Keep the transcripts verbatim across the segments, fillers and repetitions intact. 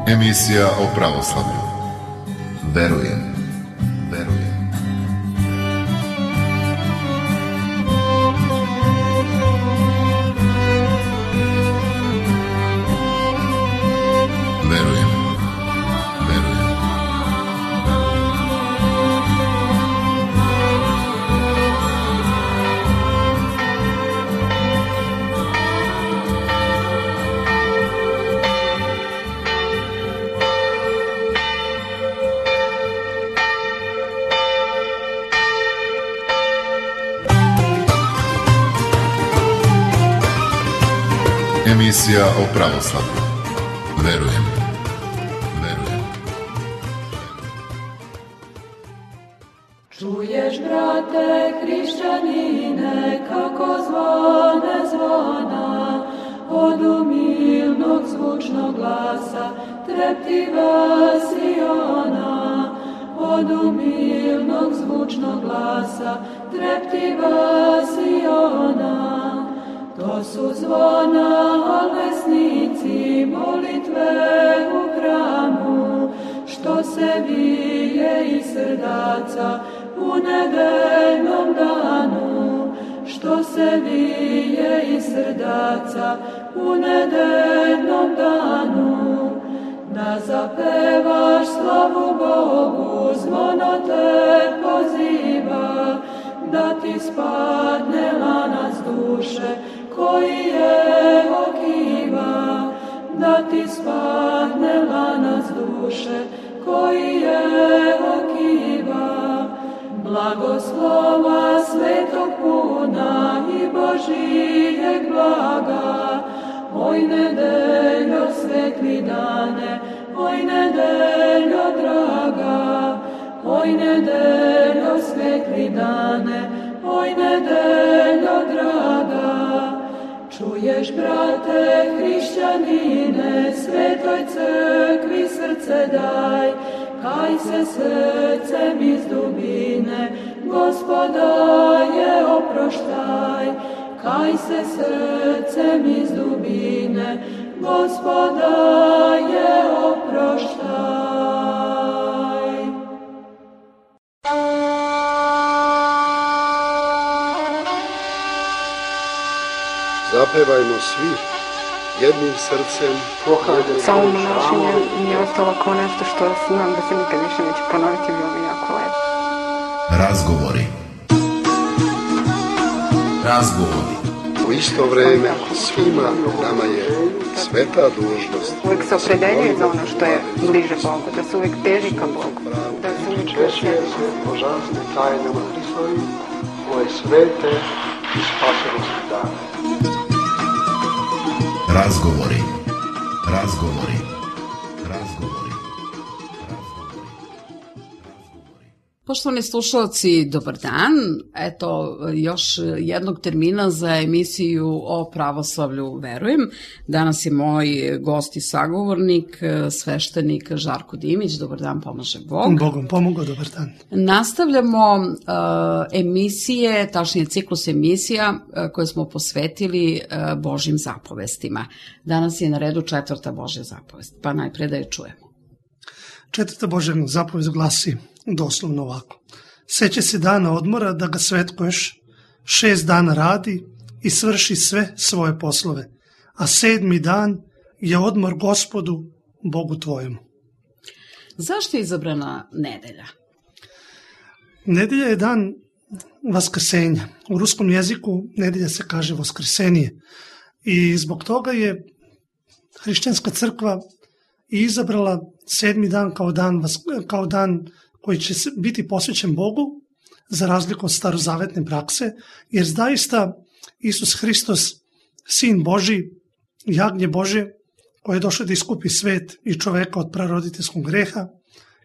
Emisija o pravoslavlju. Verujem, verujem. Verujem, verujem. Emisija o pravoslavlju. Verujem, verujem. Čuješ, brate hrišćanine, kako zvone zvona, od umilnog zvučnog glasa treptiva Siona, od umilnog zvučnog glasa treptiva Siona. To su zvona alesnici molitve u hramu, što se vije iz srdaca u nedeljnom danu, što se vije iz srdaca u nedeljnom danu. Da zapevaš slavu Bogu, zvono te poziva, da ti spadne lanac duše koji je okiva, da ti spadne lanac duše koji je okiva. Blagoslova svetog puna i Božijeg blaga, oj nedeljo svetli dane, oj nedeljo draga, oj nedeljo svetli dane, oj nedeljo draga. Čuješ, brate hrišćanine, svetoj crkvi srce daj, kaj se srcem iz dubine Gospoda je oproštaj, kaj se srcem iz dubine Gospoda je oproštaj. Zapevajmo svi jednim srcem. Samo nošenje mi je ostalo kao nešto što imam da se nikad više neće ponoviti, bilo mi jako lepo. Razgovori. Razgovori. U isto vreme svima nama je sveta dužnost. Uvijek se opredeljuje za ono što je bliže Bogu, da se uvijek teži ka Bogu, da se uvijek češće se božanstvene tajnama Hristovi, koje svete i spasonosne dane. Razgovori, razgovori, razgovori, razgovori. Poštovani slušalci, dobar dan. Eto, još jednog termina za emisiju o pravoslavlju Verujem. Danas je moj gost i sagovornik, sveštenik Žarko Dimić. Dobar dan, pomaže Bog. Bogom pomogao, dobar dan. Nastavljamo uh, emisije, tačnije ciklus emisija uh, koje smo posvetili uh, Božjim zapovestima. Danas je na redu četvrta Božja zapovest, pa najpre da je čujemo. Četvrta Božja zapovest glasi doslovno ovako. Seća se dana odmora da ga svetkuješ, šest dana radi i svrši sve svoje poslove, a sedmi dan je odmor Gospodu, Bogu tvojemu. Zašto je izabrana nedelja? Nedelja je dan vaskrsenja. U ruskom jeziku nedelja se kaže voskresenije. I zbog toga je hrišćanska crkva izabrala sedmi dan kao dan, kao dan koji će biti posvećen Bogu, za razliku od starozavetne prakse, jer zaista Isus Hristos, Sin Božji, jagnje Božje, koji je došao da iskupi svet i čoveka od praroditeljskog greha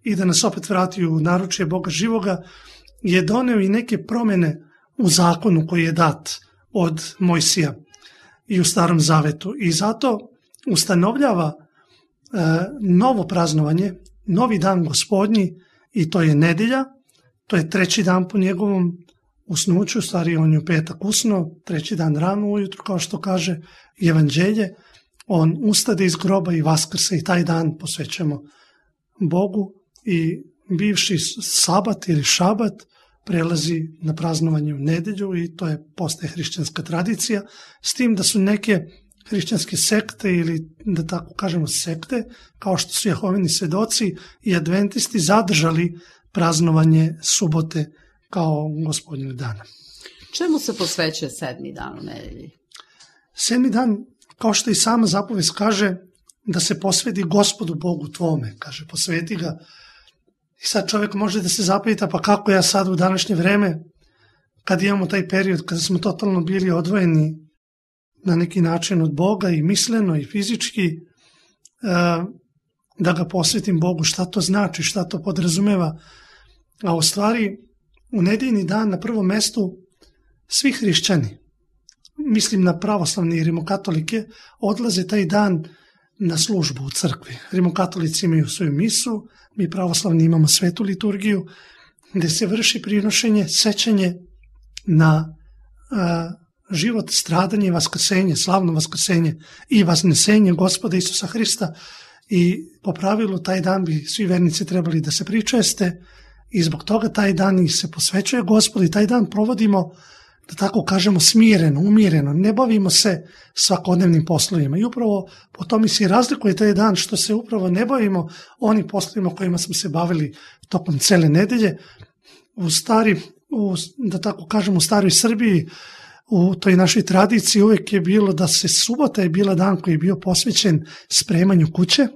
i da nas opet vrati u naručje Boga živoga, je doneo i neke promjene u zakonu koji je dat od Mojsija i u Starom Zavetu. I zato ustanovljava e, novo praznovanje, novi dan Gospodnji, i to je nedelja, to je treći dan po njegovom usnuću, stvari on je u petak usno, treći dan rano ujutro, kao što kaže Evanđelje, on ustade iz groba i vaskrse i taj dan posvećujemo Bogu i bivši sabat ili šabat prelazi na praznovanje u nedelju i to je postaje hrišćanska tradicija, s tim da su neke hrišćanske sekte ili da tako kažemo sekte, kao što su Jehovini svedoci i adventisti zadržali praznovanje subote kao Gospodnjeg dana. Čemu se posvećuje sedmi dan u nedelji? Sedmi dan, kao što i sama zapovest kaže, da se posveti Gospodu Bogu tvome, kaže, posveti ga. I sad čovjek može da se zapita, pa kako ja sad u današnje vreme, kad imamo taj period, kada smo totalno bili odvojeni na neki način od Boga i misleno i fizički, da ga posvetim Bogu, šta to znači, šta to podrazumeva. A u stvari, u nedeljni dan na prvom mestu svi hrišćani, mislim na pravoslavne i rimokatolike, odlaze taj dan na službu u crkvi. Rimokatolici imaju svoju misu, mi pravoslavni imamo svetu liturgiju, gde se vrši prinošenje, sećanje na a, život, stradanje i vaskrsenje, slavno vaskrsenje i vasnesenje Gospoda Isusa Hrista. I po pravilu taj dan bi svi vernici trebali da se pričeste i zbog toga taj dan i se posvećuje Gospodu i taj dan provodimo, da tako kažemo, smireno, umireno, ne bavimo se svakodnevnim poslovima. I upravo po tome se razlikuje taj dan što se upravo ne bavimo onim poslovima kojima smo se bavili tokom cele nedelje. U stari, u, da tako kažemo, u staroj Srbiji, u toj našoj tradiciji uvek je bilo da se subota je bila dan koji je bio posvećen spremanju kuće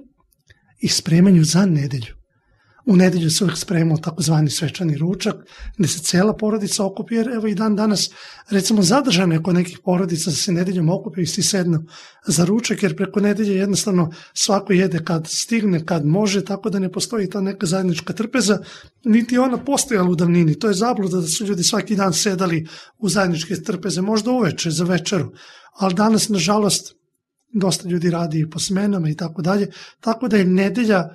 i spremanju za nedelju. U nedelju se uvijek spremao takozvani svečani ručak, gde se cela porodica okupi, jer evo i dan danas, recimo, zadržano je kod nekih porodica da se nedeljom okupi i svi sednu za ručak, jer preko nedelje jednostavno svako jede kad stigne, kad može, tako da ne postoji ta neka zajednička trpeza, niti ona postojala u davnini. To je zabluda da su ljudi svaki dan sedali u zajedničke trpeze, možda uveče za večeru, ali danas, nažalost, dosta ljudi radi i po smenama i tako dalje, tako da je nedelja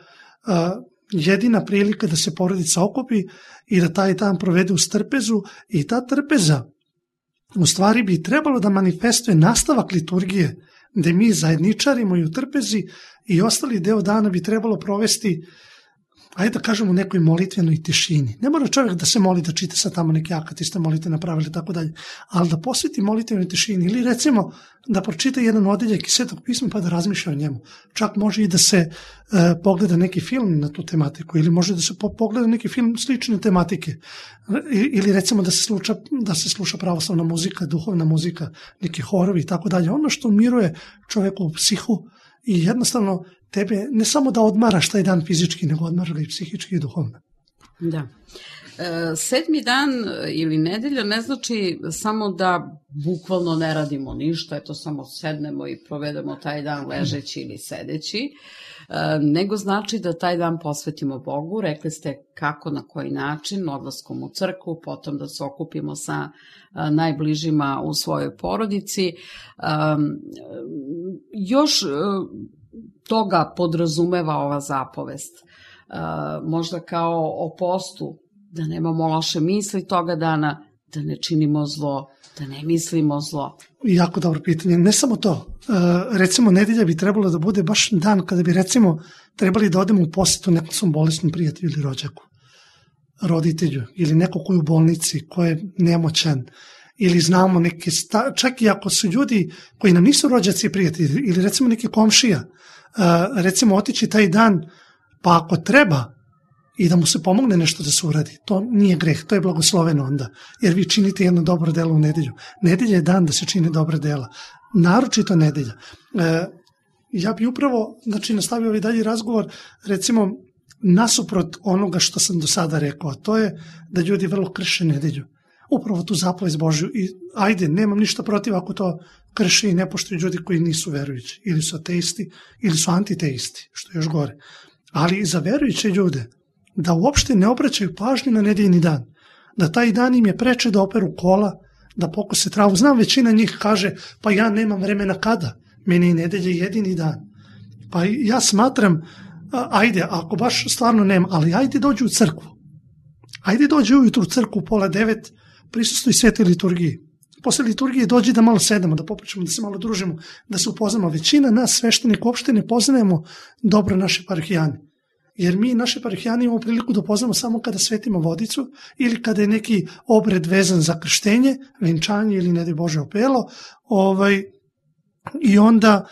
jedina prilika da se porodica okupi i da taj dan provede uz trpezu i ta trpeza u stvari bi trebalo da manifestuje nastavak liturgije gde mi zajedničarimo i u trpezi i ostali deo dana bi trebalo provesti, ajde da kažemo, u nekoj molitvenoj tišini. Ne mora čovjek da se moli, da čita sad tamo neke akatiste molite napravili tako dalje, ali da posveti molitvenoj tišini ili recimo da pročita jedan odeljak iz Svetog pisma pa da razmišlja o njemu. Čak može i da se e, pogleda neki film na tu tematiku ili može da se po, pogleda neki film slične tematike I, ili recimo da se, sluča, da se sluša pravoslavna muzika, duhovna muzika, neki horovi i tako dalje. Ono što umiruje čovjeku u psihu i jednostavno tebe ne samo da odmaraš taj dan fizički, nego odmara i psihički i duhovno. Da. E, sedmi dan ili nedelja ne znači samo da bukvalno ne radimo ništa, eto samo sednemo i provedemo taj dan ležeći ili sedeći, e, nego znači da taj dan posvetimo Bogu. Rekli ste kako, na koji način, odlaskom u crkvu, potom da se okupimo sa a, najbližima u svojoj porodici. A, još a, toga podrazumeva ova zapovest. A, možda kao o postu, da nemamo loše misli toga dana, da ne činimo zlo, da ne mislimo zlo. Jako dobro pitanje. Ne samo to. E, recimo, nedelja bi trebalo da bude baš dan kada bi, recimo, trebali da odemo u posjetu nekom svom bolesnom prijatelju ili rođaku, roditelju, ili neko koji je u bolnici, ko je nemoćan, ili znamo neke, sta... čak i ako su ljudi koji nam nisu rođaci i prijatelji, ili recimo neki komšija, e, recimo otići taj dan, pa ako treba, i da mu se pomogne nešto da se uradi. To nije greh, to je blagosloveno onda, jer vi činite jedno dobro delo u nedelju. Nedelja je dan da se čine dobra dela, naročito nedelja. E, ja bi upravo, znači, nastavio ovaj dalji razgovor, recimo, nasuprot onoga što sam do sada rekao, to je da ljudi vrlo krše nedelju. Upravo tu zapovest Božju. I ajde, nemam ništa protiv ako to krše i ne poštuju ljudi koji nisu verujući, ili su ateisti, ili su antiteisti, što je još gore. Ali i za verujuće ljude, da uopšte ne obraćaju pažnju na nedeljni dan, da taj dan im je preče da operu kola, da pokose travu. Znam, većina njih kaže, pa ja nemam vremena kada, meni je nedelja jedini dan. Pa ja smatram, ajde, ako baš stvarno nema, ali ajde dođu u crkvu. Ajde dođu ujutru u crkvu u pola devet, prisustuj svetoj liturgiji. posle liturgije dođi da malo sedemo, da popričamo, da se malo družimo, da se upoznamo. Većina nas sveštenika uopšte ne poznajemo dobro naše parohijane. Jer mi naše parohijane imamo priliku da upoznamo samo kada svetimo vodicu ili kada je neki obred vezan za krštenje, venčanje ili ne daj Bože opelo. Ovaj, I onda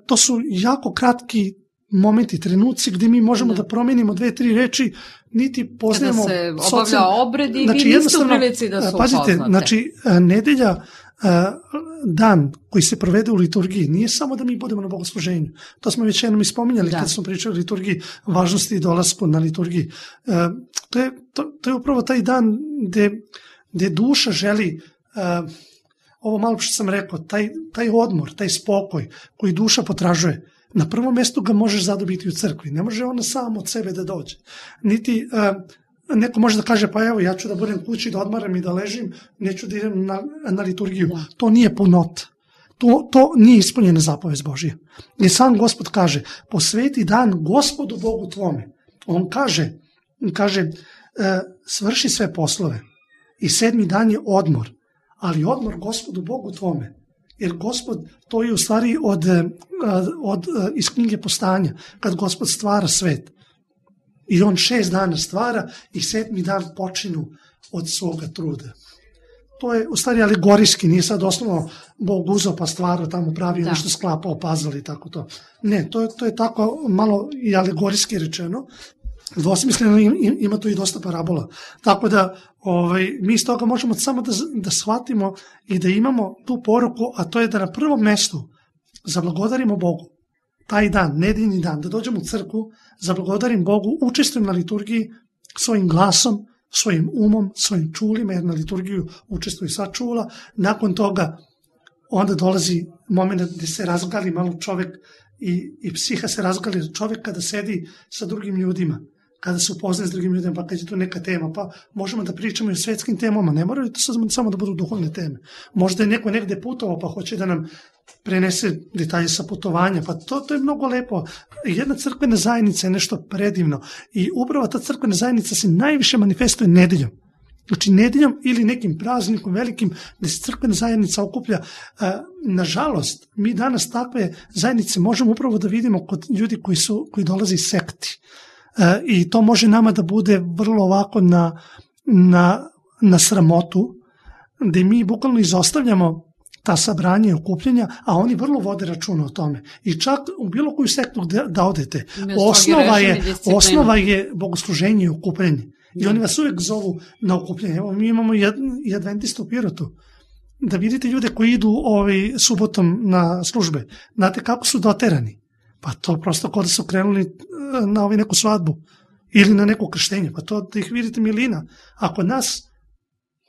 to su jako kratki momenti, trenuci gdje mi možemo da, da promenimo dve, tri reči, niti poznajemo... Kada se obavlja socijalno... obred i znači, vi niste u prilici da su pazite, upoznate. Znači, nedelja, dan koji se provede u liturgiji, nije samo da mi budemo na bogosluženju. To smo već jednom ispominjali da. Kad smo pričali o liturgiji, važnosti i dolasku na liturgiji. To je, to, to je upravo taj dan gde, gde duša želi... Ovo malo što sam rekao, taj, taj odmor, taj spokoj koji duša potražuje, na prvom mjestu ga možeš zadobiti u crkvi. Ne može ona sam od sebe da dođe. Niti uh, neko može da kaže, pa evo, ja ću da budem kući, da odmaram i da ležim, neću da idem na, na liturgiju. Da. To nije punota. To, to nije ispunjena zapovest Božija. I sam Gospod kaže, posveti dan Gospodu Bogu tvome. On kaže, kaže uh, svrši sve poslove i sedmi dan je odmor. Ali odmor Gospodu Bogu tvome. Jer Gospod, to je u stvari od, od, iz knjige Postanja, kad Gospod stvara svet. I on šest dana stvara i sedmi dan počinu od svoga truda. To je u stvari alegorijski, nije sad osnovno Bog uzeo pa stvarao tamo pravio, nešto sklapao, pazali i tako to. Ne, to je, to je tako malo i alegorijski rečeno. Dvosmisleno ima tu i dosta parabola. Tako da ovaj, mi iz toga možemo samo da, da shvatimo i da imamo tu poruku, a to je da na prvom mestu zablagodarimo Bogu taj dan, nedeljni dan, da dođemo u crkvu, zablagodarim Bogu, učestvujem na liturgiji svojim glasom, svojim umom, svojim čulima, jer na liturgiju učestvuju sva čula. Nakon toga onda dolazi moment gdje se razgali malo čovjek i, i psiha se razgali čovjek kada sedi sa drugim ljudima, kada se upoznaje s drugim ljudima, pa kad je tu neka tema, pa možemo da pričamo i o svetskim temama, ne moraju to samo da budu duhovne teme. Možda je neko negde putovao, pa hoće da nam prenese detalje sa putovanja, pa to, to je mnogo lepo. Jedna crkvena zajednica je nešto predivno i upravo ta crkvena zajednica se najviše manifestuje nedeljom. Znači nedeljom ili nekim praznikom velikim gdje se crkvena zajednica okuplja. Nažalost, mi danas takve zajednice možemo upravo da vidimo kod ljudi koji, su, koji dolaze iz sekti. I to može nama da bude vrlo ovako na, na, na sramotu, gdje mi bukvalno izostavljamo ta sabranja i okupljenja, a oni vrlo vode računa o tome. I čak u bilo koju sektu da odete, osnova je, osnova je bogosluženje i okupljenje. I oni vas uvijek zovu na okupljenje. Evo, mi imamo i adventista u Pirotu. Da vidite ljude koji idu ovaj, subotom na službe. Znate kako su doterani? Pa to prosto kao da su krenuli na ovaj neku svadbu ili na neko krštenje. Pa to da ih vidite milina. A kod nas,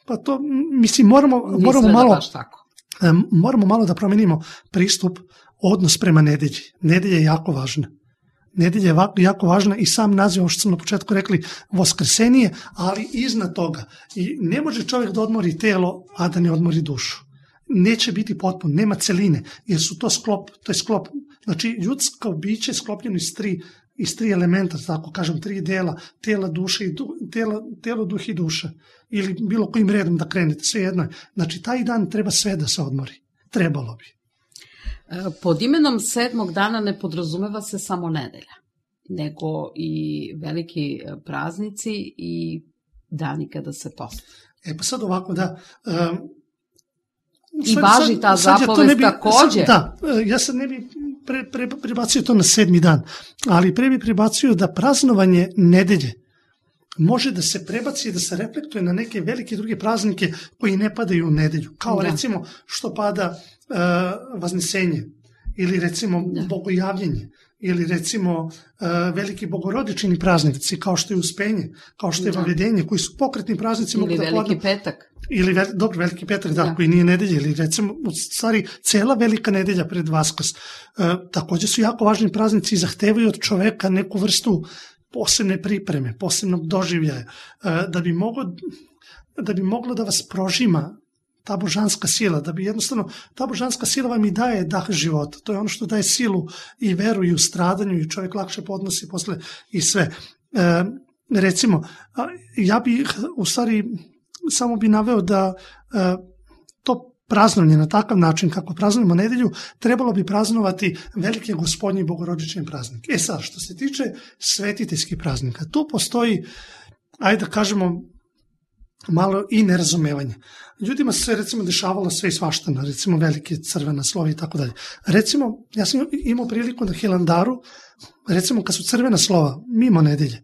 pa to, mislim, moramo, moramo malo... moramo malo da promenimo pristup, odnos prema nedelji. Nedelja je jako važna. Nedelja je jako važna i sam naziv, ovo što sam na početku rekli, Voskrsenije, ali iznad toga. I ne može čovjek da odmori telo, a da ne odmori dušu. Neće biti potpuno, nema celine, jer su to sklop, to je sklop. Znači, ljudsko biće je sklopljeno iz tri, iz tri elementa, tako kažem, tri dela, tela, duše i du, tela, telo, duh i duša. Ili bilo kojim redom da krenete, sve jedno je. Znači, taj dan treba sve da se odmori. Trebalo bi. Pod imenom sedmog dana ne podrazumeva se samo nedelja, nego i veliki praznici i dani kada se posti. E pa sad ovako, da... Um, I sad, važi ta sad, zapovest sad ja takođe. Sad, da, ja sad ne bi pre, pre, prebacio to na sedmi dan, ali pre bi prebacio da praznovanje nedelje može da se prebaci i da se reflektuje na neke velike druge praznike koji ne padaju u nedelju. Kao da. Recimo što pada uh, Vaznesenje ili recimo da. Bogojavljenje ili recimo uh, veliki bogorodični praznici kao što je Uspenje, kao što je da. Vavedenje, koji su pokretni praznici. Ili veliki podno... petak. Ili, ve, dobro, veliki petak, da, da, koji nije nedelja, ili recimo, u stvari, cela velika nedelja pred Vaskrs. E, također su jako važni praznici i zahtevaju od čoveka neku vrstu posebne pripreme, posebnog doživljaja, e, da bi moglo, da bi moglo da vas prožima ta božanska sila, da bi jednostavno, ta božanska sila vam i daje dah života. To je ono što daje silu i veru i u stradanju i čovjek lakše podnosi posle i sve. E, recimo, ja bih u stvari samo bi naveo da uh, to praznovanje na takav način kako praznujemo nedelju, trebalo bi praznovati velike gospodnje i bogorodične praznike. E sad, što se tiče svetiteljskih praznika, tu postoji, ajde da kažemo, malo i nerazumevanje. Ljudima se recimo dešavalo sve i svašta, recimo velike crvena slova i tako dalje. Recimo, ja sam imao priliku na Hilandaru, recimo kad su crvena slova mimo nedelje,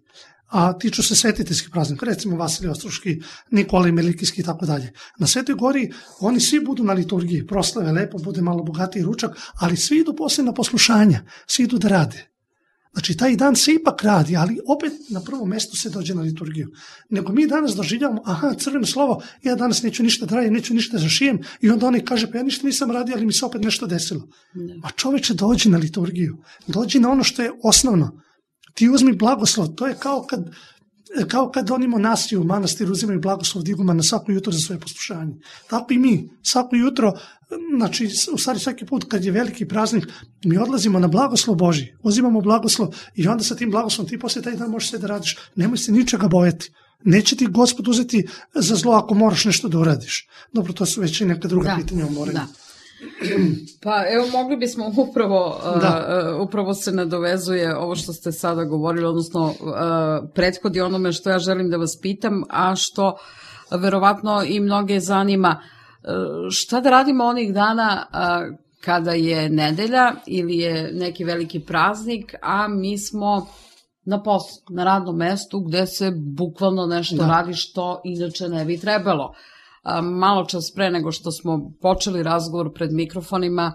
a tiču se svetiteljskih praznika, recimo Vasilij Ostroški, Nikolaj Melikijski i tako dalje. Na Svetoj gori oni svi budu na liturgiji, proslave, lepo, bude malo bogatiji ručak, ali svi idu poslije na poslušanja, svi idu da rade. Znači, taj dan se ipak radi, ali opet na prvom mjestu se dođe na liturgiju. Nego mi danas doživljavamo, aha, crveno slovo, ja danas neću ništa da radim, neću ništa da zašijem, i onda oni kaže, pa ja ništa nisam radio, ali mi se opet nešto desilo. Ne. A čoveče, dođi na liturgiju, dođi na ono što je osnovno. Ti uzmi blagoslov, to je kao kad, kao kad oni monasi u manastiru uzimaju blagoslov diguma na svako jutro za svoje poslušanje. Tako i mi, svako jutro, znači u stvari svaki put kad je veliki praznik, mi odlazimo na blagoslov Božji, uzimamo blagoslov i onda sa tim blagoslovom ti poslije taj dan možeš sve da radiš, nemoj se ničega bojati. Neće ti Gospod uzeti za zlo ako moraš nešto da uradiš. Dobro, to su već i neka druga da, pitanja o moranju. Da. Pa evo, mogli bismo upravo, uh, upravo se nadovezuje ovo što ste sada govorili, odnosno uh, prethodi onome što ja želim da vas pitam, a što verovatno i mnoge zanima. Uh, šta da radimo onih dana uh, kada je nedelja ili je neki veliki praznik, a mi smo na poslu, na radnom mestu gde se bukvalno nešto da. radi što inače ne bi trebalo. Malo čas pre nego što smo počeli razgovor pred mikrofonima,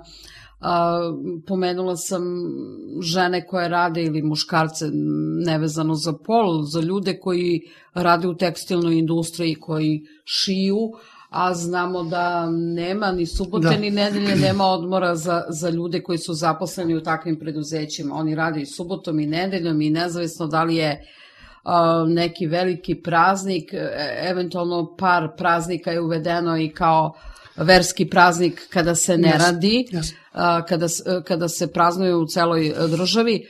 pomenula sam žene koje rade ili muškarce nevezano za pol, za ljude koji rade u tekstilnoj industriji, koji šiju, a znamo da nema ni subote da. ni nedelje, nema odmora za, za ljude koji su zaposleni u takvim preduzećima. Oni rade i subotom i nedeljom i nezavisno da li je neki veliki praznik, eventualno par praznika je uvedeno i kao verski praznik kada se ne yes. radi, yes. kada, kada se praznuje u celoj državi.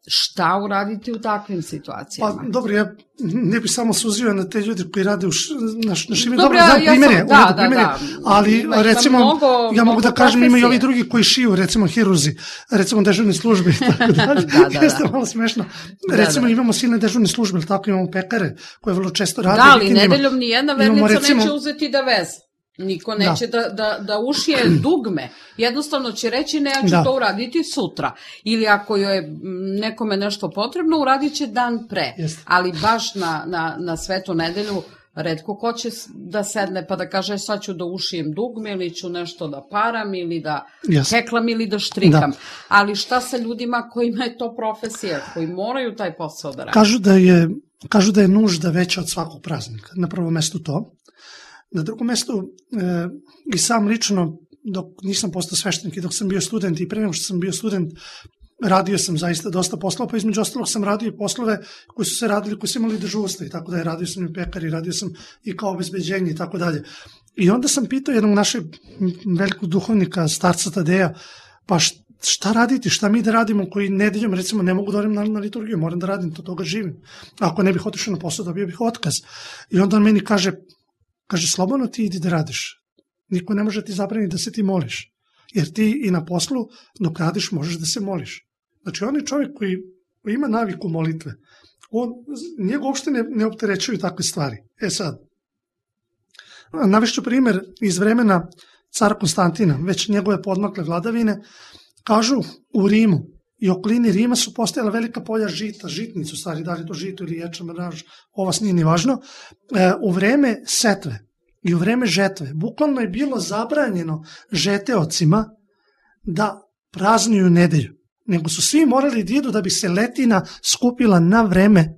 Šta uraditi u takvim situacijama? Pa dobro, ja ne bih samo suzio na te ljudi koji rade u š, na, na šimi. Dobro, znam ja primjere, sam, da, da, primjere, da. ali ima, recimo, ima mnogo, ja mogu da kažem, profesije. Ima i ovi drugi koji šiju, recimo hirurzi, recimo dežurne službe i tako dalje. da, da, Jeste da. malo smešno. Recimo da, da. imamo silne dežurne službe, ali tako imamo pekare koje vrlo često rade. Da, ali nedeljom nijedna vernica recimo, neće uzeti da veze. Niko neće da, da, da, da ušije dugme. Jednostavno će reći ne, ja ću da. to uraditi sutra. Ili ako je nekome nešto potrebno, uradit će dan pre. Jeste. Ali baš na, na, na svetu nedelju retko ko će da sedne pa da kaže sad ću da ušijem dugme ili ću nešto da param ili da Jeste. heklam ili da štrikam. Da. Ali šta sa ljudima kojima je to profesija, koji moraju taj posao da radi? Kažu da je, kažu da je nužda veća od svakog praznika. Na prvom mestu to. Na drugom mjestu, e, i sam lično, dok nisam postao sveštenik i dok sam bio student i pre nego što sam bio student, radio sam zaista dosta poslova, pa između ostalog sam radio i poslove koji su se radili, koji su imali dežurstva i tako da je, radio sam i u pekari, radio sam i kao obezbeđenje i tako dalje. I onda sam pitao jednog našeg velikog duhovnika, starca Tadeja, pa šta raditi, šta mi da radimo koji nedeljom recimo ne mogu da odem na, na liturgiju, moram da radim, to toga živim. Ako ne bih otišao na posao, dobio bih otkaz. I onda on meni kaže, Kaže, slobodno ti idi da radiš. Niko ne može ti zabraniti da se ti moliš. Jer ti i na poslu, dok radiš, možeš da se moliš. Znači, on je čovjek koji, koji ima naviku molitve. On, njega uopšte ne, ne opterećuju takve stvari. E sad, navešću primjer iz vremena cara Konstantina, već njegove podmakle vladavine, kažu u Rimu i okolini Rima su postojala velika polja žita, žitnicu, stvari, da li to žito ili ječam, ovo vas nije ni važno, e, u vreme setve i u vreme žetve, bukvalno je bilo zabranjeno žeteocima da praznuju nedelju, nego su svi morali da idu da bi se letina skupila na vreme,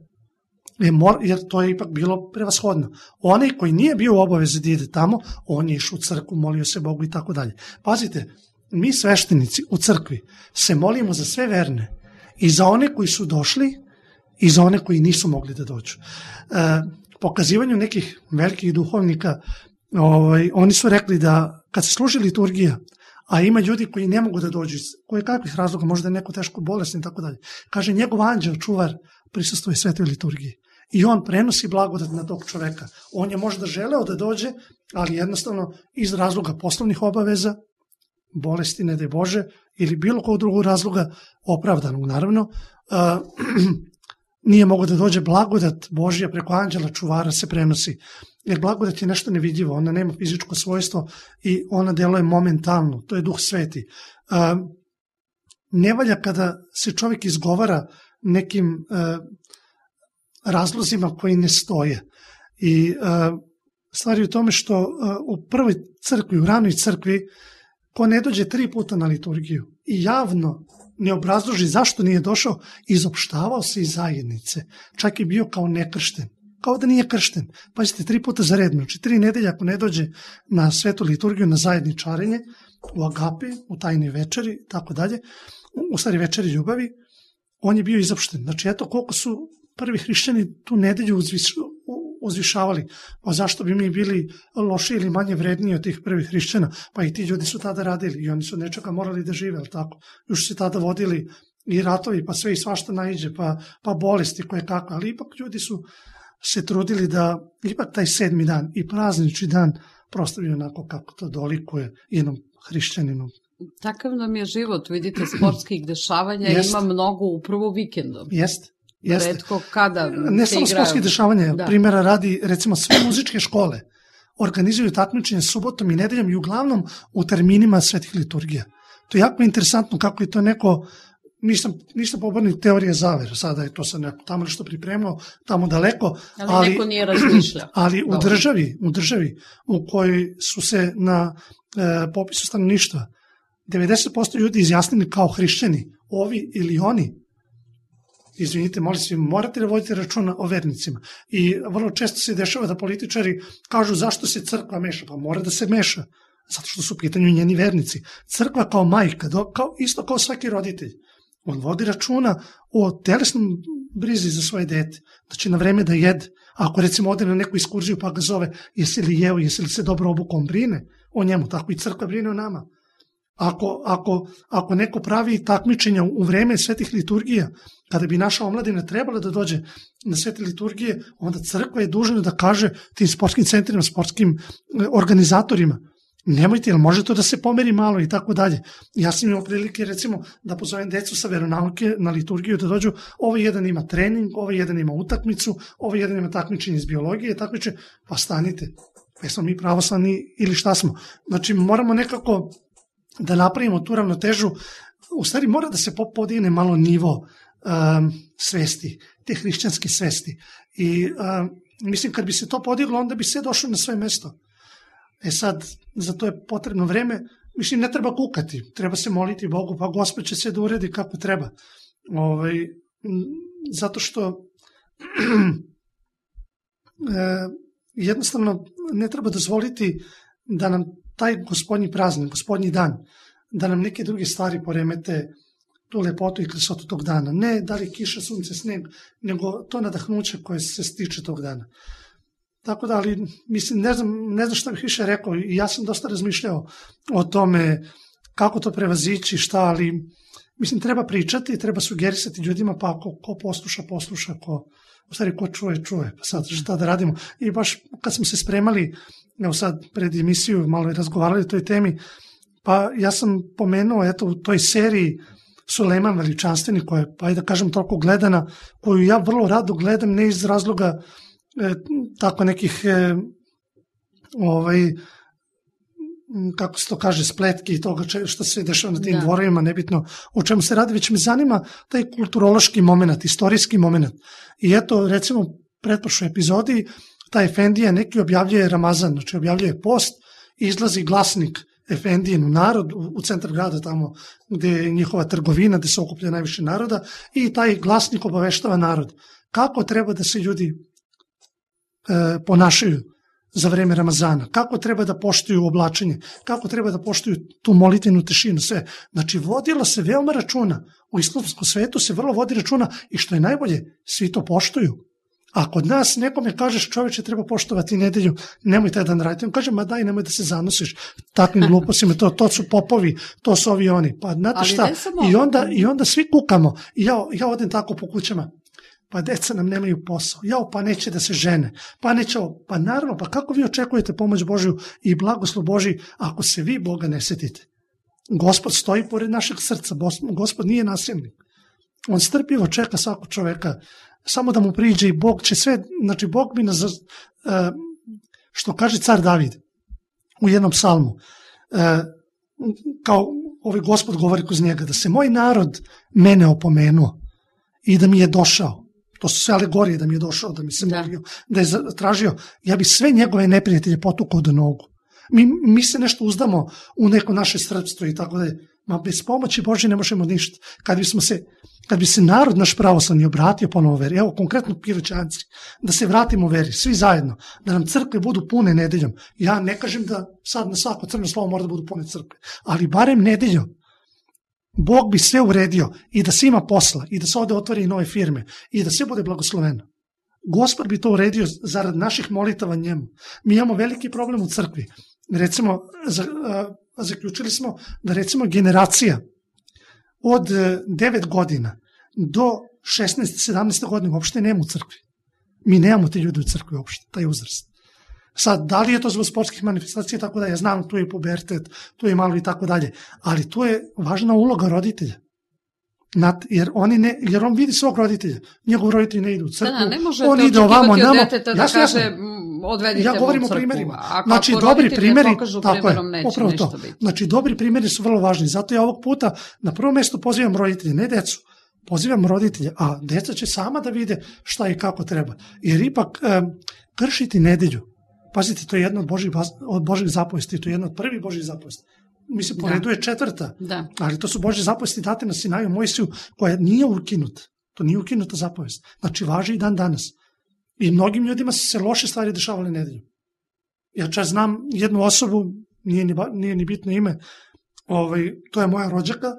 jer to je ipak bilo prevashodno. Onaj koji nije bio u obavezi da ide tamo, on je išao u crkvu, molio se Bogu i tako dalje. Pazite, mi sveštenici u crkvi se molimo za sve verne i za one koji su došli i za one koji nisu mogli da dođu. E, pokazivanju nekih velikih duhovnika, ovaj, oni su rekli da kad se služi liturgija, a ima ljudi koji ne mogu da dođu, koje kakvih razloga, možda je neko teško bolesni i tako dalje, kaže njegov anđeo čuvar prisustvuje svetoj liturgiji. i on prenosi blagodat na tog čoveka. On je možda želeo da dođe, ali jednostavno iz razloga poslovnih obaveza, bolesti, ne daj Bože, ili bilo kog drugog razloga, opravdanog naravno, a, nije mogo da dođe. Blagodat Božja preko anđela čuvara se prenosi. Jer blagodat je nešto nevidljivo, ona nema fizičko svojstvo i ona deluje momentalno, to je Duh Sveti. A, ne valja kada se čovjek izgovara nekim a, razlozima koji ne stoje. I a, stvar je u tome što a, u prvoj crkvi, u ranoj crkvi, ko ne dođe tri puta na liturgiju i javno ne obrazloži zašto nije došao, izopštavao se iz zajednice. Čak je bio kao nekršten. Kao da nije kršten. Pazite, tri puta za red, znači tri nedelje ako ne dođe na svetu liturgiju, na zajedničarenje, u agapi, u tajnoj večeri, tako dalje, u stvari večeri ljubavi, on je bio izopšten. Znači, eto koliko su prvi hrišćani tu nedelju uzvišavali. Pa zašto bi mi bili loši ili manje vredniji od tih prvih hrišćana? Pa i ti ljudi su tada radili i oni su nečega morali da žive, ali tako? Još se tada vodili i ratovi, pa sve i svašta naiđe, pa, pa bolesti koje kakve, ali ipak ljudi su se trudili da ipak taj sedmi dan i praznični dan proslavio onako kako to dolikuje jednom hrišćaninu. Takav nam je život, vidite, sportskih dešavanja Jest. Ima mnogo upravo vikendom. Jeste. Jeste. Redko kada ne samo sportskih dešavanja, da. Primjera radi, recimo sve muzičke škole organizuju takmičenje subotom i nedeljom i uglavnom u terminima svetih liturgija. To je jako interesantno kako je to neko, nisam, nisam pobornik teorije zavere, sada je to sad neko tamo što pripremao, tamo daleko, ali, ali neko nije razmišljao. Ali u državi, u državi u kojoj su se na e, popisu stanovništva devedeset posto ljudi izjasnili kao hrišćani, ovi ili oni, izvinite, molim se, morate da vodite računa o vernicima. I vrlo često se dešava da političari kažu zašto se crkva meša. Pa mora da se meša, zato što su u pitanju njeni vernici. Crkva kao majka, kao, isto kao svaki roditelj, on vodi računa o telesnom brizi za svoje dete, da će na vreme da jede. Ako recimo ode na neku ekskurziju pa ga zove, jesi li jeo, jesi li se dobro obukao, on brine o njemu, tako i crkva brine o nama. Ako, ako, ako neko pravi takmičenja u vreme svetih liturgija, kada bi naša omladina trebala da dođe na svete liturgije, onda crkva je dužna da kaže tim sportskim centrima, sportskim organizatorima, nemojte, jel može to da se pomeri malo i tako dalje. Ja sam imao prilike recimo da pozovem decu sa veronauke na liturgiju da dođu, ovaj jedan ima trening, ovaj jedan ima utakmicu, ovaj jedan ima takmičenje iz biologije, takmičenje, pa stanite, pa smo mi pravoslavni ili šta smo. Znači moramo nekako da napravimo tu ravnotežu, u stvari mora da se podigne malo nivo um, svesti, te hrišćanske svesti. I um, mislim kad bi se to podiglo, onda bi sve došlo na svoje mesto. E sad, za to je potrebno vreme, mislim ne treba kukati, treba se moliti Bogu, pa Gospod će sve da uredi kako treba. Ovaj, zato što e, jednostavno ne treba dozvoliti da nam taj gospodnji praznik, gospodnji dan, da nam neke druge stvari poremete tu lepotu i krasotu tog dana. Ne da li kiša, sunce, sneg, nego to nadahnuće koje se stiče tog dana. Tako da, ali mislim, ne znam, ne znam šta bih više rekao i ja sam dosta razmišljao o tome kako to prevazići, šta, ali mislim, treba pričati, treba sugerisati ljudima, pa ako ko posluša, posluša, ko, u stvari ko čuje, čuje, pa sad šta da radimo. I baš kad smo se spremali, evo sad pred emisiju malo je razgovarali o toj temi, pa ja sam pomenuo eto u toj seriji Sulejman Veličanstveni, koja je, pa i da kažem, toliko gledana, koju ja vrlo rado gledam, ne iz razloga e, tako nekih e, ovaj, kako se to kaže, spletki i toga što se dešava na tim da. dvorovima, nebitno o čemu se radi, već me zanima taj kulturološki moment, istorijski moment. I eto, recimo, pretprošloj epizodi, ta Efendija neki objavljuje Ramazan, znači objavljuje post, izlazi glasnik Efendijen u narod, u centar grada tamo gde je njihova trgovina, gde se okuplja najviše naroda, i taj glasnik obaveštava narod kako treba da se ljudi e, ponašaju za vreme Ramazana, kako treba da poštuju oblačenje, kako treba da poštuju tu molitvenu tišinu, sve. Znači, vodilo se veoma računa, u islamskom svetu se vrlo vodi računa i što je najbolje, svi to poštuju. A kod nas nekome kažeš, čoveče, treba poštovati nedelju, nemoj taj dan raditi. On kaže, ma daj, nemoj da se zanosiš takvim glupostima, to, to su popovi, to su ovi oni. Pa znate šta, I onda, i onda svi kukamo. I ja, ja odem tako po kućama. pa deca nam nemaju posao, jao, pa neće da se žene, pa neće ovo, pa naravno, pa kako vi očekujete pomoć Božju i blagoslov Božji ako se vi Boga ne setite? Gospod stoji pored našeg srca, Gospod nije nasilnik. On strpljivo čeka svakog čoveka, samo da mu priđe i Bog će sve, znači Bog bi nas, što kaže car David u jednom psalmu, kao ovaj Gospod govori kroz njega, da se moj narod mene opomenuo i da mi je došao, to su sve alegorije, da mi je došao, da mi se molio, da je tražio, ja bi sve njegove neprijatelje potukao do nogu. Mi, mi se nešto uzdamo u neko naše srpstvo i tako da je, ma bez pomoći Božje ne možemo ništa. Kad bismo se, kad bi se narod naš pravoslavni obratio ponovo veri, evo konkretno Piroćanci, da se vratimo veri, svi zajedno, da nam crkve budu pune nedeljom. Ja ne kažem da sad na svako crno slovo mora da budu pune crkve, ali barem nedeljom. Bog bi sve uredio i da se ima posla i da se ovde otvori i nove firme i da sve bude blagosloveno. Gospod bi to uredio zarad naših molitava njemu. Mi imamo veliki problem u crkvi. Recimo, zaključili smo da recimo generacija od devet godina do šesnaeste sedamnaeste godine uopšte nema u crkvi. Mi nemamo te ljude u crkvi uopšte, taj uzrast. Sad, da li je to zbog sportskih manifestacija, tako da ja znam, tu je pubertet, tu je malo i tako dalje, ali tu je važna uloga roditelja. Jer, oni ne, jer on vidi svog roditelja, njegov roditelj ne ide u crkvu, da, ne možete on ide ovamo, od namo, deteta da jasno, kaže jasno. Odvedite ja govorim u o crkvu. primerima. Ako, znači, ako dobri primeri, pokažu tako je, neće upravo ništa to. biti. Znači, dobri primeri su vrlo važni, zato ja ovog puta na prvo mesto pozivam roditelje, ne decu, pozivam roditelje, a deca će sama da vide šta i kako treba. Jer ipak e, kršiti nedelju, pazite, to je jedna od Božih, od Božih zapovesti, to je jedna od prvih Božih zapovesti. Mislim, po redu je četvrta, da. Ali to su Božje zapovesti date na Sinaju Mojsiju, koja nije ukinuta. To nije ukinuta zapovest. Znači, važi i dan danas. I mnogim ljudima su se loše stvari dešavale nedeljom. Ja čas znam jednu osobu, nije ni, nije ni bitno ime, ovaj, to je moja rođaka,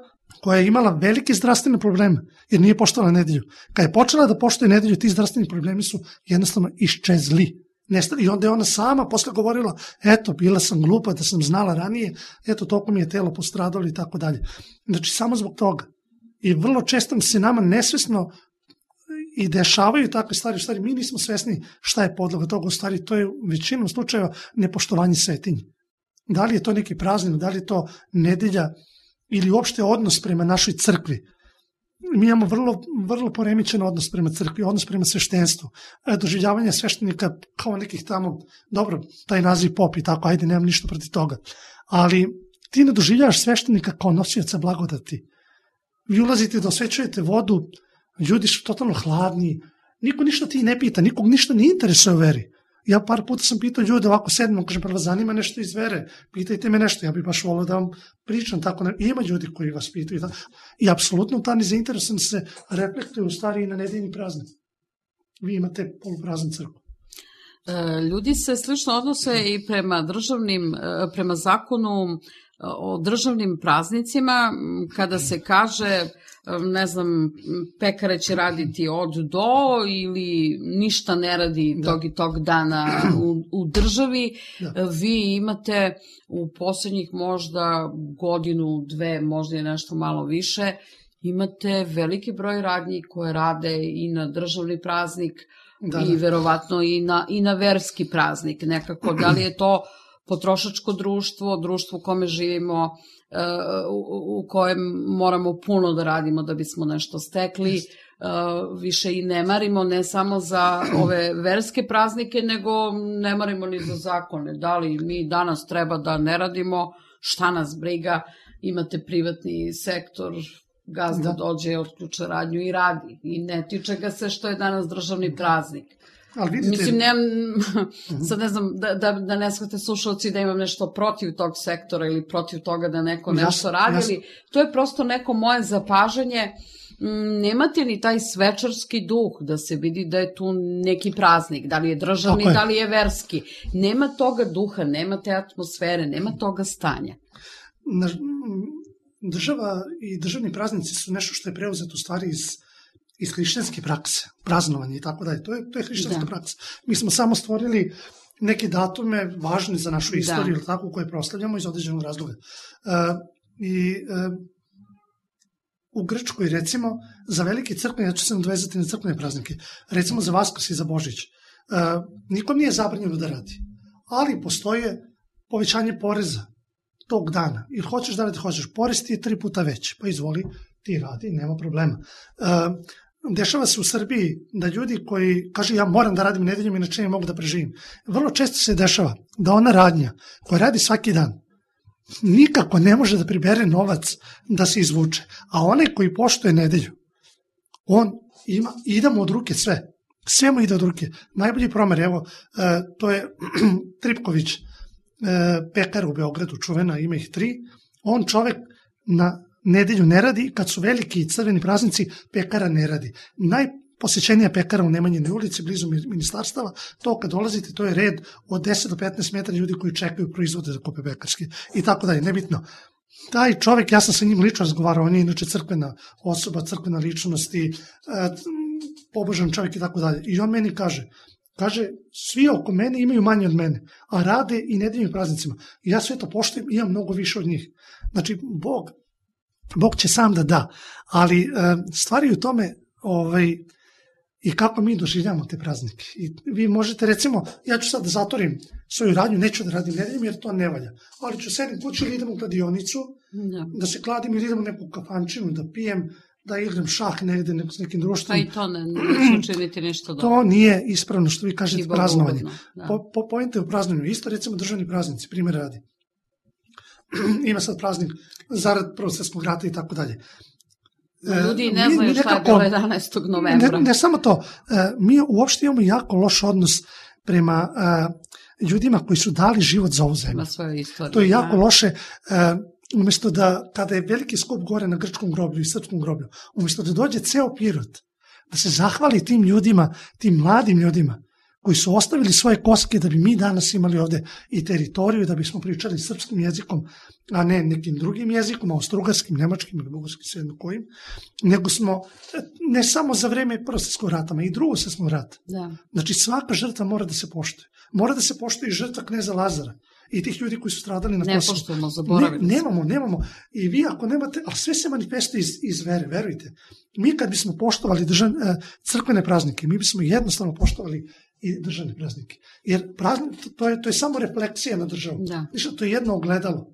koja je imala velike zdravstvene probleme, jer nije poštovala nedelju. Kad je počela da poštuje nedelju, ti zdravstveni problemi su jednostavno iščezli. Nestali. I onda je ona sama posle govorila, eto, bila sam glupa da sam znala ranije, eto, toliko mi je telo postradalo i tako dalje. Znači, samo zbog toga. I vrlo često se nama nesvesno i dešavaju takve stvari, u stvari mi nismo svesni šta je podloga toga, u stvari to je u većinom slučajeva nepoštovanje svetinje. Da li je to neki praznik, da li je to nedelja ili uopšte odnos prema našoj crkvi. Mi imamo vrlo, vrlo poremećen odnos prema crkvi, odnos prema sveštenstvu, doživljavanje sveštenika kao nekih tamo, dobro, taj naziv pop i tako, ajde, nemam ništa protiv toga, ali ti ne doživljavaš sveštenika kao nosioca blagodati. Vi ulazite da osvećujete vodu, ljudi su totalno hladni, niko ništa ti ne pita, nikog ništa ne interesuje o veri. Ja par puta sam pitao ljude ovako sedmom, kažem, prvo zanima nešto iz vere, pitajte me nešto, ja bih baš volio da vam pričam tako. Ne... Ima ljudi koji vas pitaju i, i apsolutno ta nezainteresovanost se reflektuje u stvari i na nedeljni praznik. Vi imate polupraznu crkvu. Ljudi se slično odnose i prema državnim, prema zakonu o državnim praznicima, kada se kaže, ne znam, pekare će raditi od do ili ništa ne radi tog i tog dana u, u državi, da. Vi imate u poslednjih možda godinu, dve, možda i nešto malo više, imate veliki broj radnji koje rade i na državni praznik, da, i verovatno i na, i na verski praznik. Nekako, da li je to potrošačko društvo, društvo u kome živimo, u kojem moramo puno da radimo da bismo nešto stekli, više i ne marimo ne samo za ove verske praznike, nego ne marimo ni za zakone. Da li mi danas treba da ne radimo, šta nas briga, imate privatni sektor, gazda dođe, otključa radnju i radi. I ne tiče ga se što je danas državni praznik. Vidite... Mislim, nemam, sad ne znam, da, da, da ne shvate slušalci da imam nešto protiv tog sektora ili protiv toga da neko nešto radi, ali to je prosto neko moje zapažanje. Nemate ni taj svečarski duh da se vidi da je tu neki praznik, da li je državni, da li je verski. Nema toga duha, nema te atmosfere, nema toga stanja. Država i državni praznici su nešto što je preuzeto u stvari iz iz hrišćanske prakse, praznovanje i tako dalje. To je, to je hrišćanska da. praksa. Mi smo samo stvorili neke datume važne za našu istoriju, da. tako, koje proslavljamo iz određenog razloga. Uh, I uh, u Grčkoj, recimo, za velike crkvene, ja ću se nadvezati na crkvene praznike, recimo za Vaskrs i za Božić, uh, nikom nije zabranjeno da radi, ali postoje povećanje poreza tog dana, jer hoćeš da radi, hoćeš, porez ti je tri puta veći, pa izvoli, ti radi, nema problema. Uh, dešava se u Srbiji da ljudi koji kaže ja moram da radim nedeljom, inače ne mogu da preživim. Vrlo često se dešava da ona radnja koja radi svaki dan nikako ne može da pribere novac da se izvuče. A onaj koji poštuje nedelju, on ima, ide mu od ruke sve. Sve mu ide od ruke. Najbolji primer, evo, to je Tripković, pekar u Beogradu, čuvena, ima ih tri. On čovek na nedelju ne radi, kad su veliki i crveni praznici, pekara ne radi. Najposećenija pekara u Nemanjinoj ulici, blizu ministarstava, to kad dolazite, to je red od deset do petnaest metara ljudi koji čekaju proizvode za kupe pekarske i tako dalje, nebitno. Taj čovek, ja sam sa njim lično razgovarao, on je inače crkvena osoba, crkvena ličnost i pobožan čovek i tako dalje. I on meni kaže, kaže, svi oko mene imaju manje od mene, a rade i nedeljnim praznicima. I ja sve to poštujem, imam mnogo više od njih. Znači, Bog Bog će sam da da, ali stvari u tome ovaj, i kako mi doživljamo te praznike. I vi možete, recimo, ja ću sad da zatvorim svoju radnju, neću da radim nedeljom jer to ne valja, ali ću sedim kući ili idem u kladionicu, da, da se kladim ili idem u neku kafančinu, da pijem, da igram šah negde s nekim društvom. Pa i to ne, neću učiniti nešto dobro. To nije ispravno što vi kažete praznovanje. Po, po pojente u praznovanju, isto recimo državni praznici, primjer radi. Ima sad praznik zarad Prvog svjetskog rata i tako dalje. Ljudi ne znaju šta je bilo jedanaestog novembra. Ne, ne samo to, mi uopšte imamo jako loš odnos prema ljudima koji su dali život za ovu zemlju. To je jako loše, umjesto da, kada je veliki skup gore na grčkom groblju i srpskom groblju, umjesto da dođe ceo Pirot, da se zahvali tim ljudima, tim mladim ljudima, koji su ostavili svoje koske da bi mi danas imali ovde i teritoriju, da bismo pričali srpskim jezikom, a ne nekim drugim jezikom, austrougarskim, nemačkim ili bugarskim, sve jedno kojim, nego smo, ne samo za vreme Prvog svjetskog rata, i Drugog svjetskog rata. Da. Znači svaka žrtva mora da se poštuje. Mora da se poštuje i žrtva kneza Lazara i tih ljudi koji su stradali na Kosovu. Ne poštujemo, zaboravili. Ne, nemamo, nemamo. I vi ako nemate, a sve se manifestuje iz, iz vere, verujte. Mi kad bismo poštovali držav, crkvene praznike, mi bismo jednostavno poštovali i državne praznike. Jer praznik, to je, to je samo refleksija na državu. Da. To je jedno ogledalo.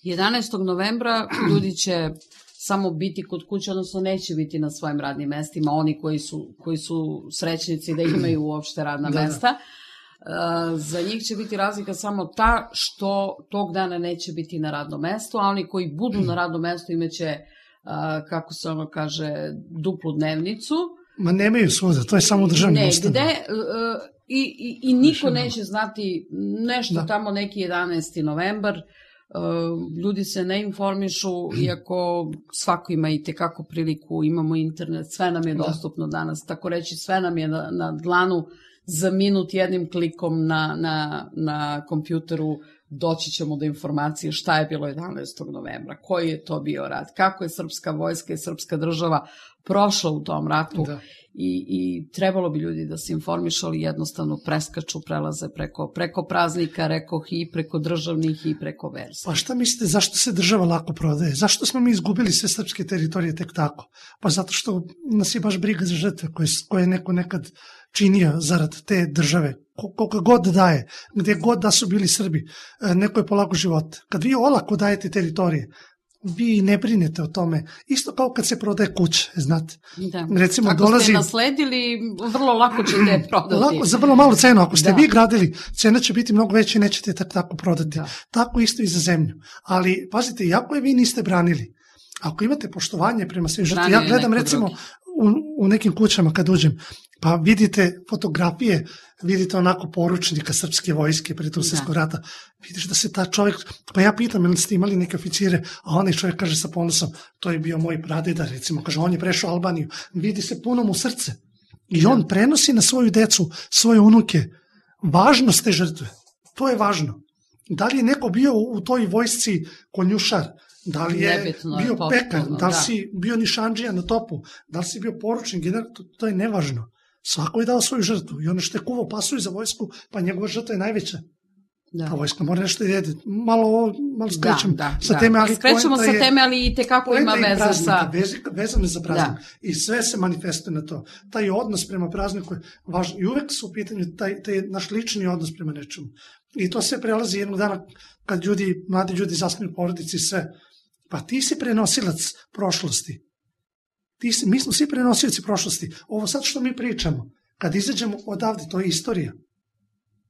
jedanaestog novembra ljudi će samo biti kod kuće, odnosno neće biti na svojim radnim mestima, oni koji su, koji su srećnici da imaju uopšte radna da, mesta. Da. Za njih će biti razlika samo ta što tog dana neće biti na radnom mestu, a oni koji budu na radnom mestu imaće, kako se ono kaže, duplu dnevnicu. Ma nemaju svuda, to je samo državni ustav. Ne, gde, uh, i, i, i niko neće znati nešto da. Tamo neki jedanaesti novembar, uh, ljudi se ne informišu, iako svako ima i tekako priliku, imamo internet, sve nam je dostupno da. Danas, tako reći, sve nam je na, na dlanu, za minut jednim klikom na, na, na kompjuteru doći ćemo do informacije šta je bilo jedanaestog novembra, koji je to bio rat, kako je srpska vojska i srpska država prošla u tom ratu i, i trebalo bi ljudi da se informišu, ali jednostavno preskaču, prelaze preko, preko praznika, rekoh, i preko državnih i preko verskih. Pa šta mislite, zašto se država lako prodaje? Zašto smo mi izgubili sve srpske teritorije tek tako? Pa zato što nas je baš briga za žrtve koje, koje je neko nekad činio zarad te države, koliko god daje, gde god da su bili Srbi, neko je polago život. Kad vi olako dajete teritorije, vi ne brinete o tome. Isto kao kad se prodaje kuća, znate. Da. Recimo, ako dolazi... ste nasledili, vrlo lako ćete prodati. Lako, za vrlo malu cenu. Ako ste da. Vi gradili, cena će biti mnogo veća i nećete tako, tako prodati. Da. Tako isto i za zemlju. Ali, pazite, iako je vi niste branili, ako imate poštovanje prema svim žrtvama, ja gledam recimo u, u nekim kućama kad uđem, pa vidite fotografije, vidite onako poručnika srpske vojske pre Drugog svjetskog rata, vidiš da se ta čovjek, pa ja pitam, ili ste imali neke oficire, a onaj čovjek kaže sa ponosom, to je bio moj pradeda, recimo, kaže, on je prešao Albaniju, vidi se puno mu srce. I on prenosi na svoju decu, svoje unuke, važnost te žrtve. To je važno. Da li je neko bio u toj vojsci konjušar, da li je Nebitno, bio je pekar, da li da. Si bio nišandžija na topu, da li si bio poručnik, general, to, to je nevažno. Svako je dao svoju žrtvu i ono što je kuvao pasulj za vojsku, pa njegova žrtva je najveća. Da. Ta vojska mora nešto da jede. Malo ovo, malo skrećemo da, da, sa da. teme, ali skrećemo sa je, teme, ali i tekako ima veze sa... Vezano je za praznik. Da. I sve se manifestuje na to. Taj odnos prema prazniku je važan. I uvek su u pitanju taj, taj naš lični odnos prema nečemu. I to sve prelazi jednog dana kad ljudi, mladi ljudi zasnuju porodici i sve. Pa ti si prenosilac prošlosti. Ti si, mi smo svi prenosioci prošlosti. Ovo sad što mi pričamo, kad izađemo odavde, to je istorija.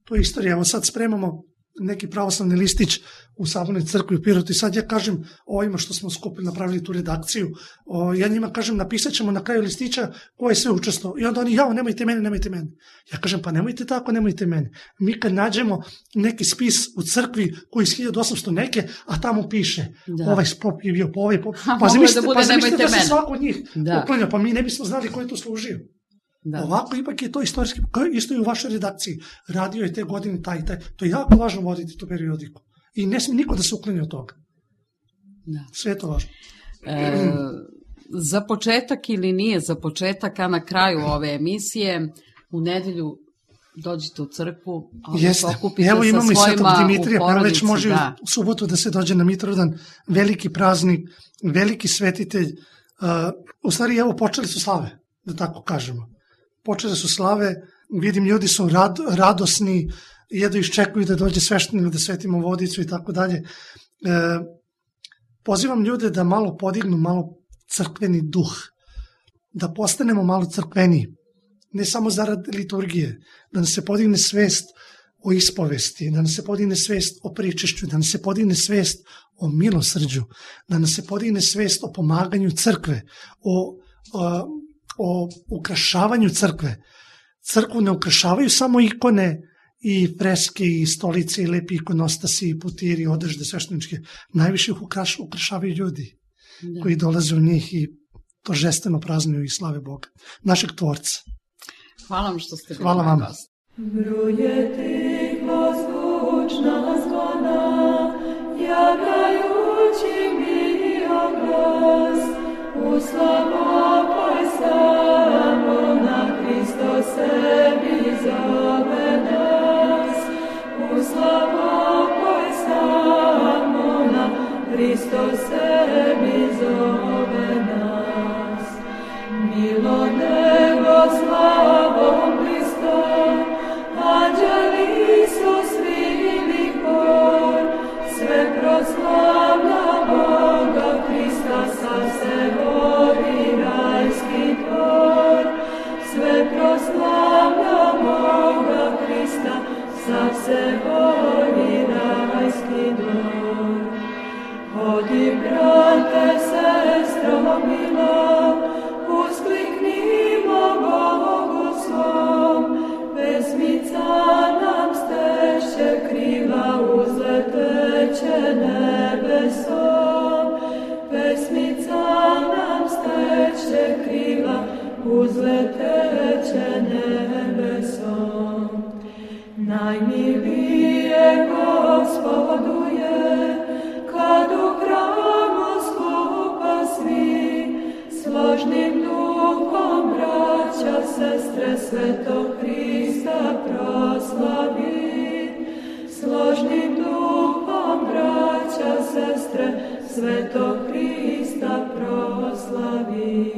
To je istorija. Evo sad spremamo neki pravoslavni listić u Sabornoj crkvi u Pirotu i sad ja kažem ovima što smo skupili, napravili tu redakciju, o, ja njima kažem napisat ćemo na kraju listića ko je sve učestvovao. I onda oni, jao, nemojte mene, nemojte mene. Ja kažem, pa nemojte tako, nemojte mene. Mi kad nađemo neki spis u crkvi koji iz hiljadu osamsto neke, a tamo piše, da. Ovaj spop je bio po ovaj pop. Pa zamislite da, pa zamislite da se svako od njih uklanja, pa mi ne bismo znali ko je to služio. Da. Ovako ipak je to istorijski, isto i u vašoj redakciji. Radio je te godine taj i taj. To je jako važno voditi tu periodiku. I ne smije niko da se uklanja od toga. Da. Sve je to važno. E, za početak ili nije za početak, a na kraju ove emisije, u nedelju dođite u crkvu, a se okupite Evo, sa svojima Dimitrija, u porodici. Već može da. U subotu da se dođe na Mitrovdan, veliki praznik, veliki svetitelj. Uh, u stvari, evo, počeli su slave, da tako kažemo. Počele su slave, vidim ljudi su rad, radosni, jedu iščekuju da dođe sveštenik da svetimo vodicu i tako dalje. Pozivam ljude da malo podignu malo crkveni duh, da postanemo malo crkveniji, ne samo zarad liturgije, da nam se podigne svest o ispovesti, da nam se podigne svest o pričešću, da nam se podigne svest o milosrđu, da nam se podigne svest o pomaganju crkve, o... o o ukrašavanju crkve. Crkvu ne ukrašavaju samo ikone i freske i stolice i lepi ikonostasi i putiri i odežde svešteničke. Najviše ih ukraš, ukrašavaju ljudi da. Koji dolaze u njih i to žesteno praznuju i slave Boga. Našeg Tvorca. Hvala vam što ste bili Hvala vam. Bruje tiho zvučna zvona, javljajući mi oglas, u slavopoj samo na Hristo sebi zove nas. U slavopoj samo na Hristo sebi zove nas. Milo nego slavom Hristo, anđeli su svili hor, sve proslavlja Boga Hrista sa sebori rajski tvor. Sve proslavlja Boga Hrista sa sebori rajski dvor. Hodi, brate, sestro mila, uskliknimo Bogu svom, pesmica nam steće krila, uzleteće nebesom. Pesmica nam steće krila, uzleteće nebesom. Najmilije Gospodu je, kad u hramu skupa svi, složnim duhom braća, sestre, svetog Hrista proslavi. Složnim duhom braća, sestre, svetog Hrista proslavi.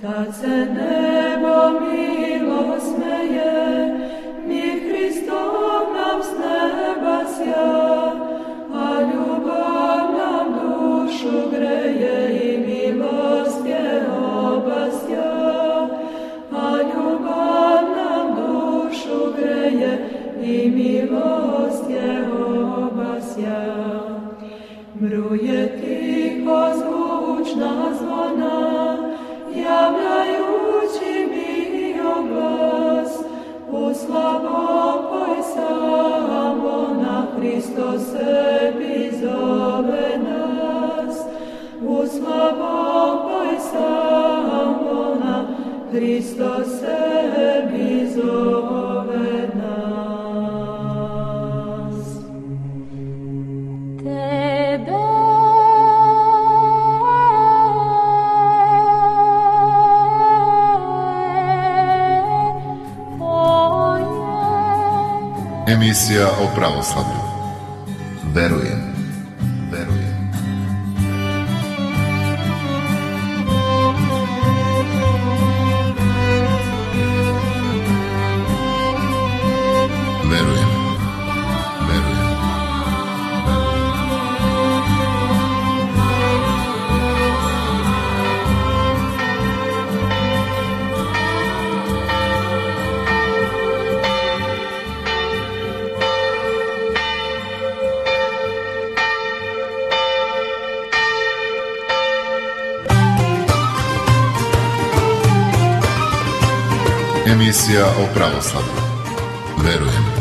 Tad se nebo milo smeje, mir Hristov nam s neba sja, a ljubav nam dušu greje i milost je obasja. A ljubav nam dušu greje i milost je obasja. Bruje tiho zvučna zvona, javljajući mi oglas, u slavopoj samo na Hristo sebi zove nas. U slavopoj samo na Hristo sebi zove nas. Tebe Emisija o pravoslavlju. Verujem, verujem. Verujem, verujem. Emisija o pravoslavlju. Verujem.